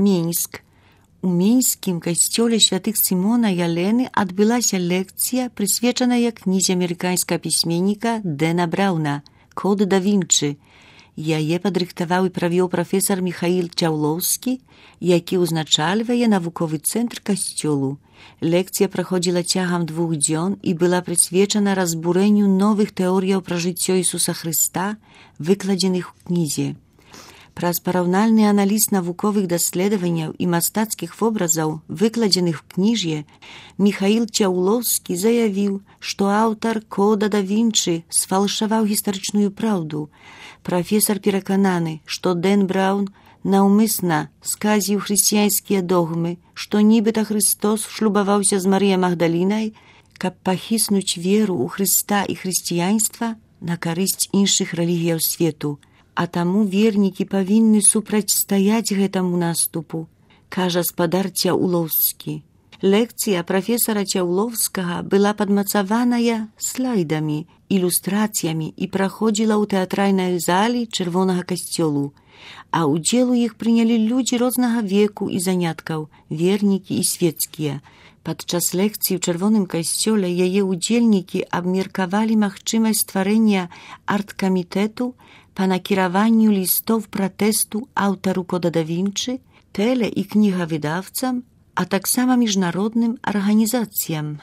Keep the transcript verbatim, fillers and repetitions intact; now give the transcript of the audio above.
Мінск. У мінскім касцёле святых Сімона і Алены адбылася лекцыя, прысвечаная кнізе амерыканскага пісьменніка Дэна Брауна «Код да Вінчы». Яе падрыхтаваў і правёў прафесар Міхаіл Цяўлоўскі, які ўзначальвае навуковы цэнтр касцёлу. Лекцыя праходзіла цягам двух дзён і была прысвечана разбурэнню новых тэорыяў пра жыццё Ісуса Хрыста, выкладзеных у кнізе. Праз параўнальны аналіз навуковых даследаванняў і мастацкіх вобразаў, выкладзеных у кніже, Міхаіл Цяўлоўскі заявіў, што аўтар «Кода да Вінчы» сфалшаваў гістарычную праўду. Прафесар перакананы, што Дэн Браўн наўмысна сказіў хрысціянскія догмы, што нібыта Христос шлюбаваўся з Марыяй Магдалінай, каб пахіснуць веру ў Хрыста і хрысціянства на карысць іншых рэлігіяў свету. А таму вернікі павінны супрацьстаяць гэтаму наступу, кажа спадар Цяўлоўскі. Лекцыя прафесара Цяўлоўскага была падмацаваная слайдамі, ілюстрацыямі і праходзіла ў тэатральнай залі Чырвонага касцёлу, а ўдзел у іх прынялі людзі рознага веку і заняткаў, вернікі і свецкія. Падчас лекцыі ў Чырвоным касцёле яе ўдзельнікі абмеркавалі магчымасць стварэння арт-камітэту па накіраванню лістоў пратэсту аўтару «Кода да Вінчы», тэле- і кнігавыдаўцам, а таксама міжнародным арганізацыям.